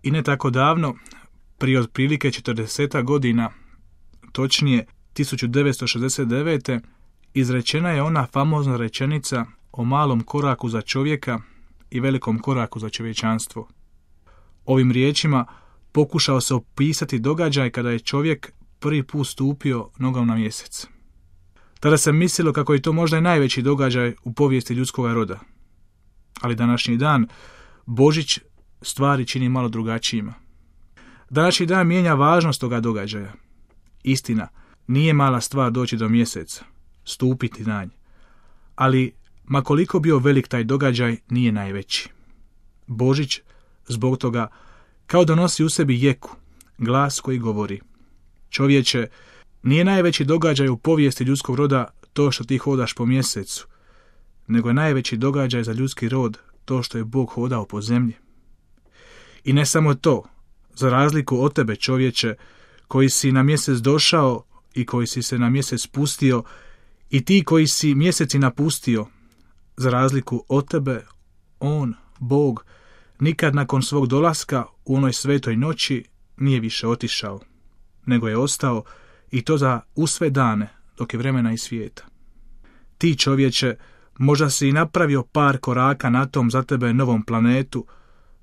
I ne tako davno, prije otprilike 40 godina, točnije 1969. izrečena je ona famozna rečenica o malom koraku za čovjeka i velikom koraku za čovječanstvo. Ovim riječima pokušao se opisati događaj kada je čovjek prvi put stupio nogom na mjesec. Tada se mislilo kako je to možda i najveći događaj u povijesti ljudskog roda. Ali današnji dan Božić stvari čini malo drugačijima. Današnji dan mijenja važnost toga događaja. Istina, nije mala stvar doći do mjeseca, stupiti na nj. Ali, ma koliko bio velik taj događaj, nije najveći. Božić, zbog toga, kao da nosi u sebi jeku, glas koji govori: čovječe, nije najveći događaj u povijesti ljudskog roda to što ti hodaš po mjesecu, nego je najveći događaj za ljudski rod to što je Bog hodao po zemlji. I ne samo to, za razliku od tebe, čovječe, koji si na mjesec došao i koji si se na mjesec spustio, i ti koji si mjeseci napustio, za razliku od tebe, on, Bog, nikad nakon svog dolaska u onoj svetoj noći nije više otišao, nego je ostao, i to za u sve dane, dok je vremena i svijeta. Ti, čovječe, možda si i napravio par koraka na tom za tebe novom planetu,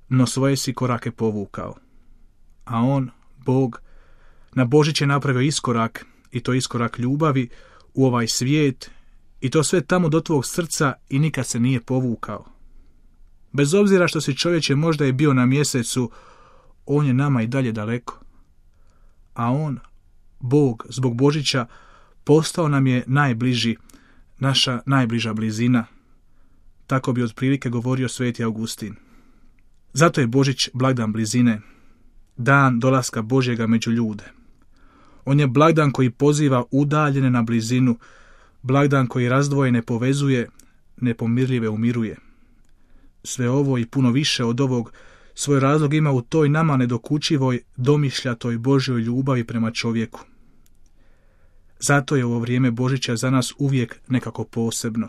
no svoje si korake povukao. A on, Bog, na Božić je napravio iskorak, i to iskorak ljubavi u ovaj svijet, i to sve tamo do tvog srca, i nikad se nije povukao. Bez obzira što si, čovječe, možda je bio na mjesecu, on je nama i dalje daleko. A on, Bog, zbog Božića, postao nam je najbliži, naša najbliža blizina. Tako bi otprilike govorio sveti Augustin. Zato je Božić blagdan blizine, dan dolaska Božjega među ljude. On je blagdan koji poziva udaljene na blizinu, blagdan koji razdvojene povezuje, nepomirljive umiruje. Sve ovo i puno više od ovog svoj razlog ima u toj nama nedokučivoj, domišljatoj Božjoj ljubavi prema čovjeku. Zato je ovo vrijeme Božića za nas uvijek nekako posebno.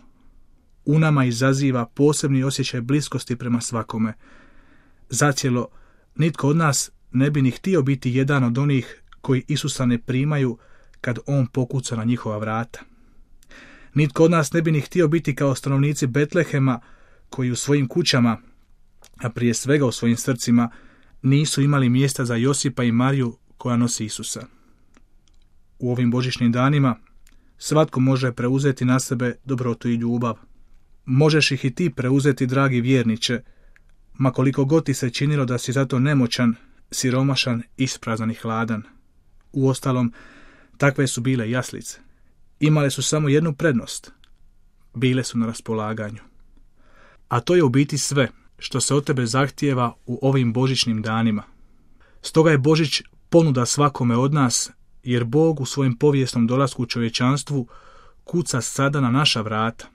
U nama izaziva posebni osjećaj bliskosti prema svakome. Zacijelo, nitko od nas ne bi ni htio biti jedan od onih koji Isusa ne primaju kad on pokuca na njihova vrata. Nitko od nas ne bi ni htio biti kao stanovnici Betlehema, koji u svojim kućama, a prije svega u svojim srcima, nisu imali mjesta za Josipa i Mariju koja nosi Isusa. U ovim božićnim danima svatko može preuzeti na sebe dobrotu i ljubav. Možeš ih i ti preuzeti, dragi vjerniče, ma koliko god ti se činilo da si zato nemoćan, siromašan, isprazan i hladan. Uostalom, takve su bile jaslice. Imale su samo jednu prednost. Bile su na raspolaganju. A to je u biti sve što se od tebe zahtijeva u ovim božićnim danima. Stoga je Božić ponuda svakome od nas, jer Bog u svojem povijesnom dolasku u čovječanstvu kuca sada na naša vrata.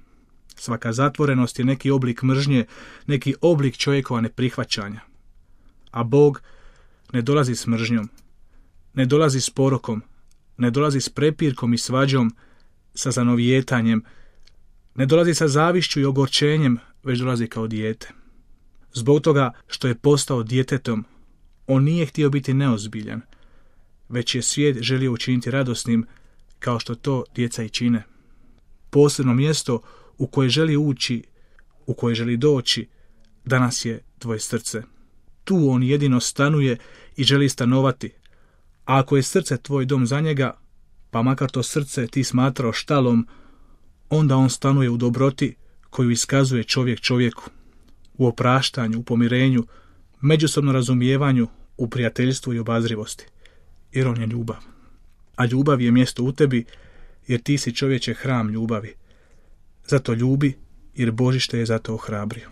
Svaka zatvorenost je neki oblik mržnje, neki oblik čovjekova neprihvaćanja. A Bog ne dolazi s mržnjom, ne dolazi s porokom, ne dolazi s prepirkom i svađom, sa zanovijetanjem, ne dolazi sa zavišću i ogorčenjem, već dolazi kao dijete. Zbog toga što je postao djetetom, on nije htio biti neozbiljan, već je svijet želio učiniti radosnim, kao što to djeca i čine. Posebno mjesto u koje želi ući, u koje želi doći, danas je tvoje srce. Tu on jedino stanuje i želi stanovati. A ako je srce tvoj dom za njega, pa makar to srce ti smatrao štalom, onda on stanuje u dobroti koju iskazuje čovjek čovjeku, u opraštanju, u pomirenju, međusobnom razumijevanju, u prijateljstvu i obazrivosti. Jer on je ljubav. A ljubav je mjesto u tebi, jer ti si, čovječe, hram ljubavi. Zato ljubi, jer Božić te je zato ohrabrio.